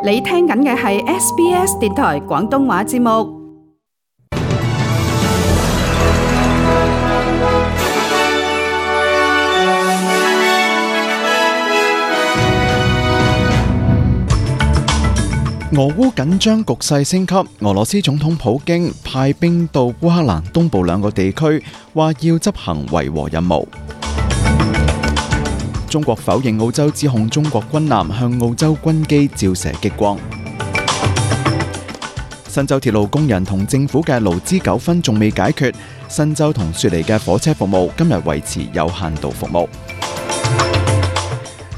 你聽緊嘅係 SBS 電台廣東話節目。俄烏緊張局勢升級，俄羅斯總統普京派兵到烏克蘭東部兩個地區，話要執行維和任務。中國否認澳洲指控中國軍艦向澳洲軍機照射激光。新州鐵路工人同政府嘅勞資糾紛仲未解決，新州同雪梨嘅火車服務今日維持有限度服務。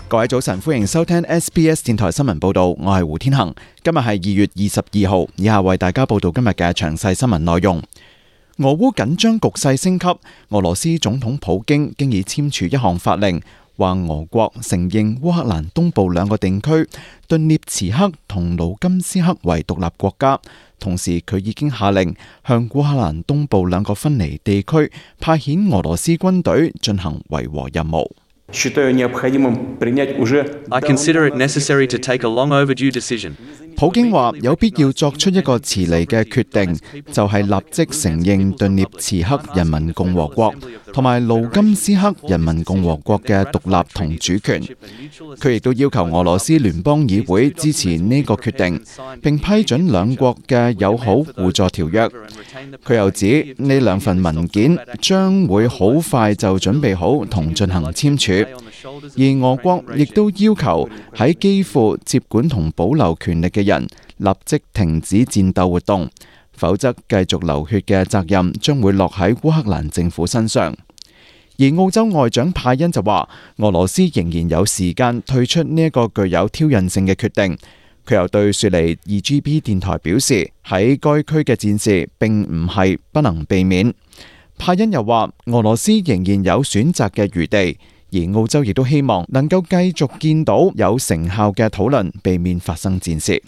各位早晨，歡迎收聽 SBS 電台新聞報道，我係胡天恒。今日係2月22號，以下為大家報道今日嘅詳細新聞內容。俄烏緊張局勢升級，俄羅斯總統普京經已簽署一項法令，話俄國承認烏克蘭東部兩個地區頓涅茨克同盧甘斯克為獨立國家，同時佢已經下令向烏克蘭東部兩個分離地區派遣俄羅斯軍隊進行維和任務。I consider it necessary to take a long overdue decision. 普京話有必要作出一個遲嚟嘅決定，就係立即承認頓涅茨克人民共和國同埋盧甘斯克人民共和國嘅獨立同主權。佢亦都要求俄羅斯聯邦議會支持呢個決定，並批准兩國嘅友好互助條約。佢又指呢兩份文件將會好快就準備好同進行簽署。而俄國亦都要求喺基輔接管同保留權力嘅人立即停止戰鬥活動，否則繼續流血嘅責任將會落喺烏克蘭政府身上。而澳洲外長派恩就話，俄羅斯仍然有時間退出呢一個具有挑釁性嘅決定。佢又對雪梨 2GB 電台表示，喺該區嘅戰事並唔係不能避免。派恩又話，俄羅斯仍然有選擇嘅餘地。而澳洲亦都希望能夠繼續見到有成效嘅討論，避免發生戰事。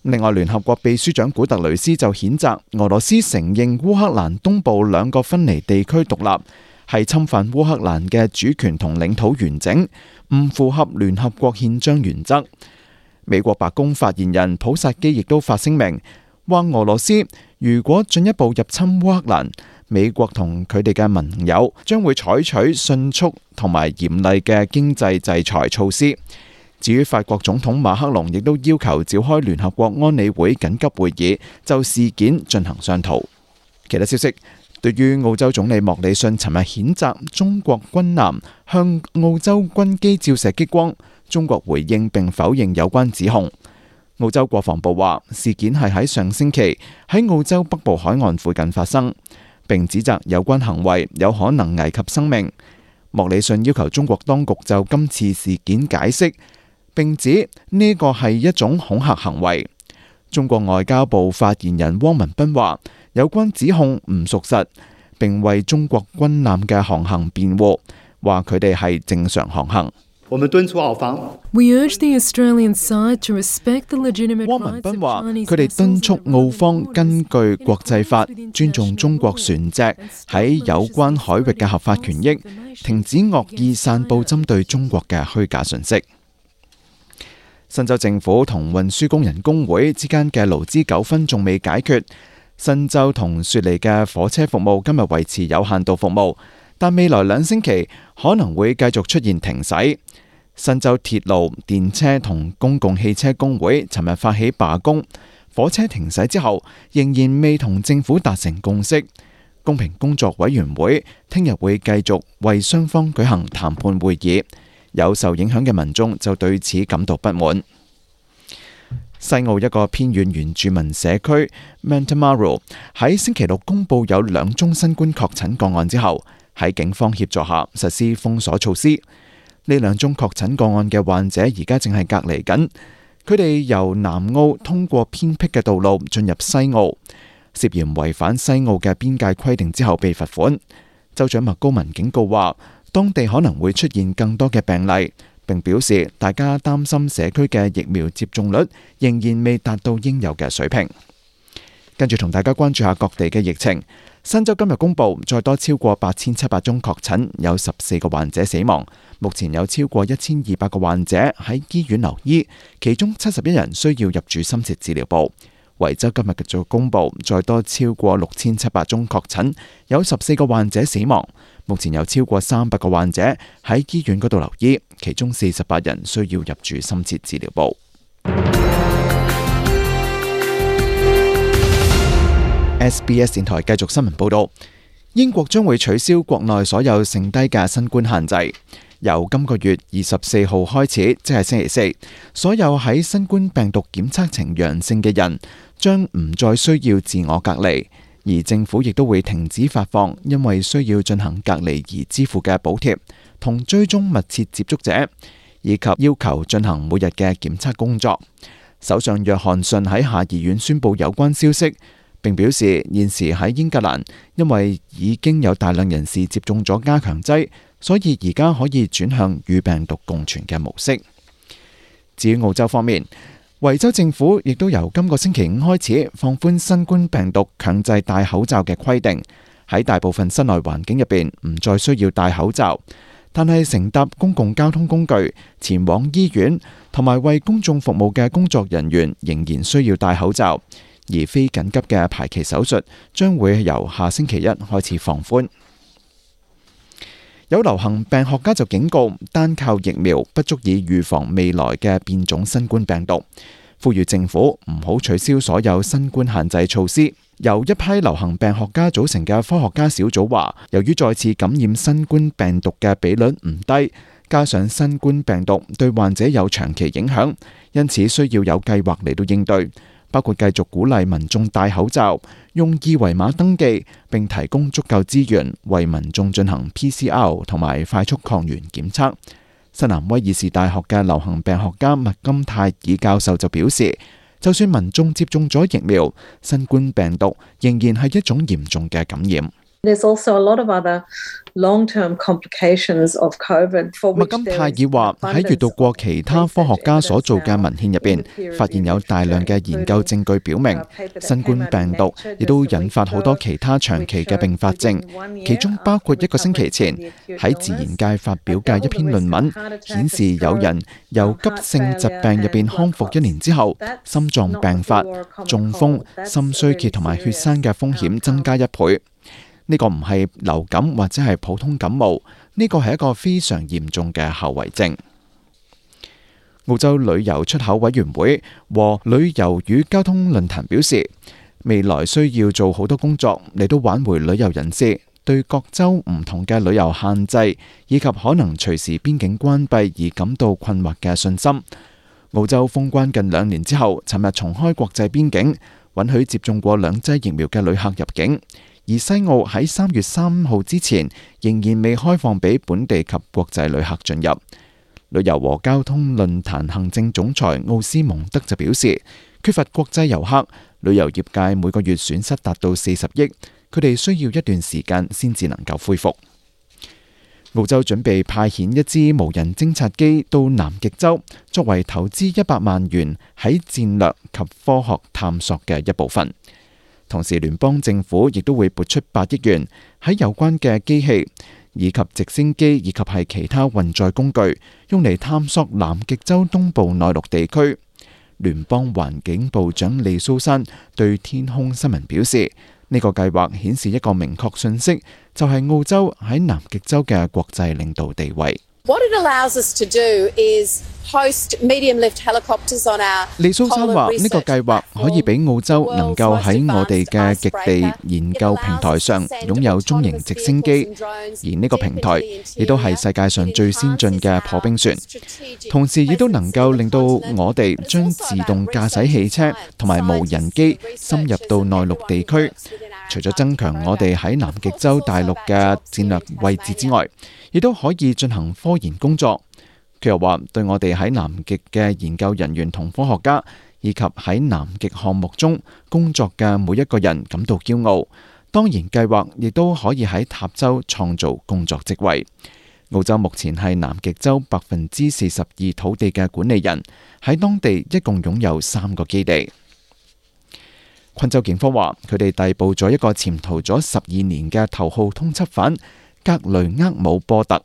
另外，聯合國秘書長古特雷斯就譴責俄羅斯承認烏克蘭東部兩個分離地區獨立，係侵犯烏克蘭嘅主權同領土完整，唔符合聯合國憲章原則。美國白宮發言人普薩基亦都發聲明，話俄羅斯如果進一步入侵烏克蘭，美國同佢哋嘅盟友將會採取迅速同埋嚴厲嘅經濟制裁措施。至於法國總統馬克龍亦都要求召開聯合國安理會緊急會議，就事件進行商討。其他消息，對於澳洲總理莫里遜尋日譴責中國軍艦向澳洲軍機照射激光，中國回應並否認有關指控。澳洲國防部話事件係喺上星期喺澳洲北部海岸附近發生，並指責有關行為有可能危及生命。莫里遜要求中國當局就今次事件解釋，並指呢個係一種恐嚇行為。中國外交部發言人汪文斌話，有關指控唔屬實，並為中國軍艦嘅航行辯護，話佢哋係正常航行。我們敦促澳方。汪文斌話：佢哋敦促澳方根據國際法尊重中國船隻喺有關海域嘅合法權益，停止惡意散佈針對中國嘅虛假信息。新州政府同運輸工人工會之間嘅勞資糾紛仲未解決，新州同雪梨嘅火車服務今日維持有限度服務，但未來2星期可能會繼續出現停駛。新州鐵路、電車同公共汽車工會尋日發起罷工，火車停駛之後仍然未同政府達成共識。公平工作委員會聽日會繼續為雙方舉行談判會議，有受影響嘅民眾就對此感到不滿。西澳一個偏遠原住民社區 Mantamaru 喺星期六公佈有2宗新冠確診個案之後，喺警方協助下實施封鎖措施。呢2宗確診個案嘅患者而家正係隔離緊，佢哋由南澳通過偏僻嘅道路進入西澳，涉嫌違反西澳嘅邊界規定之後被罰款。州長麥高文警告話，當地可能會出現更多嘅病例，並表示大家擔心社區嘅疫苗接種率仍然未達到應有嘅水平。跟住同大家關注下各地嘅疫情。新州今日公布再多超過8700宗確診，有14個患者死亡。目前有超過1200個患者喺醫院留醫，其中71人需要入住深切治療部。維州今日繼續公布再多超過6700宗確診，有14個患者死亡。目前有超過300個患者喺醫院嗰度留醫，其中48人需要入住深切治療部。SBS 電台繼續新聞報道，英國將會取消國內所有剩低嘅新冠限制。由今個月24號開始，即係星期四，所有喺新冠病毒檢測呈陽性嘅人將唔再需要自我隔離，而政府亦都會停止發放因為需要進行隔離而支付嘅補貼，同追蹤密切接觸者，以及要求進行每日嘅檢測工作。首相約翰遜喺下議院宣布有關消息，並表示現時喺英格蘭，因為已經有大量人士接種咗加強劑，所以而家可以轉向與病毒共存嘅模式。至於澳洲方面，維州政府亦都由今個星期5開始放寬新冠病毒強制戴口罩嘅規定，喺大部分室內環境入邊唔再需要戴口罩，但係乘搭公共交通工具、前往醫院同埋為公眾服務嘅工作人員仍然需要戴口罩。而非緊急嘅排期手術將會由下星期1開始放寬。有流行病學家就警告，單靠疫苗不足以預防未來嘅變種新冠病毒，呼籲政府唔好取消所有新冠限制措施。由一批流行病學家組成嘅科學家小組話，由於再次感染新冠病毒嘅比率唔低，加上新冠病毒對患者有長期影響，因此需要有計劃嚟到應對。包括繼續鼓勵民眾戴口罩、用二維碼登記，並提供足夠資源為民眾進行 PCR 同埋快速抗原檢測。新南威爾士大學嘅流行病學家麥金泰爾教授就表示，就算民眾接種咗疫苗，新冠病毒仍然係一種嚴重嘅感染。There's also a lot of other long-term complications of COVID. 麥金泰爾話喺閱讀過其他科學家所做嘅文獻入邊，發現有大量嘅研究證據表明，新冠病毒亦都引發好多其他長期嘅併發症，其中包括1個星期前喺自然界發表嘅一篇論文，顯示有人由急性疾病入邊康復1年之後，心臟病發、中風、心衰竭同埋血栓嘅風險增加1倍。呢個唔係流感或者係普通感冒，呢個係一個非常嚴重嘅後遺症。澳洲旅遊出口委員會和旅遊與交通論壇表示，未來需要做好多工作嚟到挽回旅遊人士對各州唔同嘅旅遊限制以及可能隨時邊境關閉而感到困惑嘅信心。澳洲封關近2年之後，尋日重開國際邊境，允許接種過2劑疫苗嘅旅客入境。而西澳喺3月3號之前仍然未開放俾本地及國際旅客進入。旅遊和交通論壇行政總裁奧斯蒙德就表示，缺乏國際遊客，旅遊業界每個月損失達到40億，佢哋需要一段時間先至能夠恢復。澳洲準備派遣一支無人偵察機到南極洲，作為投資100萬元喺戰略及科學探索嘅一部分。同時，聯邦政府亦都會撥出8億元喺有關嘅機器以及直升機以及係其他運載工具，用嚟探索南極洲東部內陸地區。聯邦環境部長利蘇珊對天空新聞表示，呢個計劃顯示一個明確信息，就係澳洲喺南極洲嘅國際領導地位。What it allows us to do is host medium lift helicopters on our 利蘇珊話：呢個計劃可以俾澳洲能夠喺我哋嘅極地研究平台上擁有中型直升機，而呢個平台亦都係世界上最先進嘅破冰船，同時亦都能夠令到我哋將自動駕駛汽車同埋無人機深入到內陸地區。除咗增強我哋喺南極洲大陸嘅戰略位置之外，亦都可以進行科研工作。佢又話，對我哋喺南極嘅研究人員同科學家，以及喺南極項目中工作嘅每一個人感到驕傲。當然，計劃亦都可以喺塔州創造工作職位。澳洲目前係南極洲42%土地嘅管理人，喺當地一共擁有3個基地。昆州警方話，佢哋逮捕咗一個潛逃咗12年嘅頭號通緝犯格雷厄姆波特。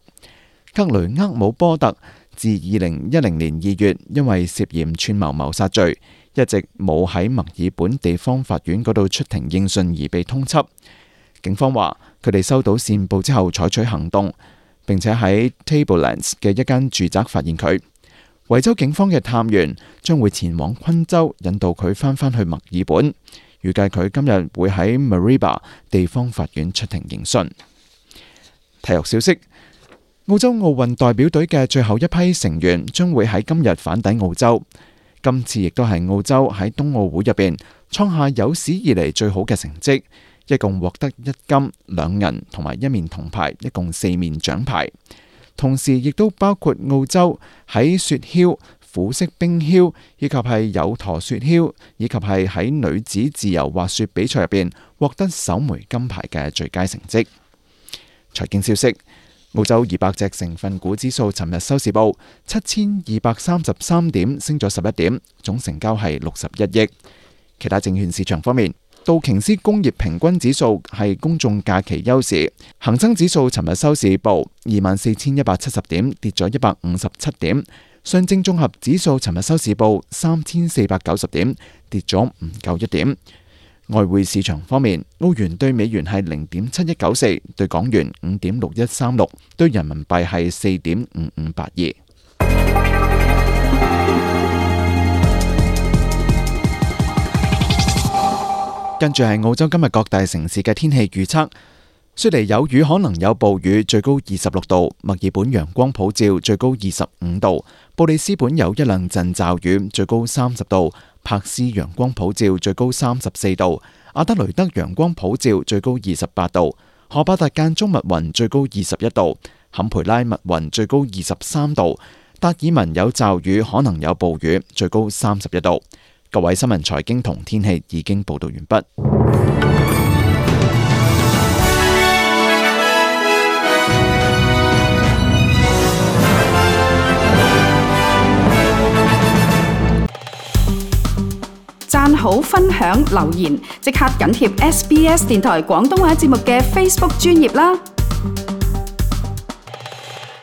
格雷厄姆波特自2010年2月因為涉嫌串謀謀殺罪，一直冇喺墨爾本地方法院嗰度出庭應訊而被通緝。警方話，佢哋收到線報之後採取行動，並且喺 Tablelands 嘅一間住宅發現佢。維州警方嘅探員將會前往昆州，引導佢返去墨爾本。預計佢今日會喺 Mareeba 地方法院出庭應訊。體育消息：澳洲奧運代表隊嘅最後一批成員將會喺今日返抵澳洲。今次亦都係澳洲喺冬奧會入邊創下有史以嚟最好嘅成績，一共獲得1金、2銀同埋1面銅牌，一共4面獎牌。同時亦都包括澳洲喺雪橇、虎式冰橇以及係有駝雪橇，以及係喺女子自由滑雪比賽入邊獲得首枚金牌嘅最佳成績。財經消息：澳洲200隻成分股指數尋日收市報7233點，升咗11點，總成交係61億。其他證券市場方面，道瓊斯工業平均指數係公眾假期休市，恒生指數尋日收市報24,170點，跌咗157點。上證綜合指數尋日收市報3,490點，跌咗唔夠1點。外匯市場方面，澳元對美元係0.7194，對港元5.6136，對人民幣係4.5582。跟住係澳洲今日各大城市嘅天氣預測。雪梨有雨，可能有暴雨，最高26度；墨爾本陽光普照，最高25度；布里斯本有一兩陣驟雨，最高30度；柏斯陽光普照，最高34度；阿德雷德陽光普照，最高28度；荷巴達間中密雲，最高21度；坎培拉密雲，最高23度；達爾文有驟雨，可能有暴雨，最高31度。各位新聞、財經同天氣已經報道完畢。讚好、分享、留言，即刻緊貼SBS 電台廣東話節目嘅 Facebook 專頁啦！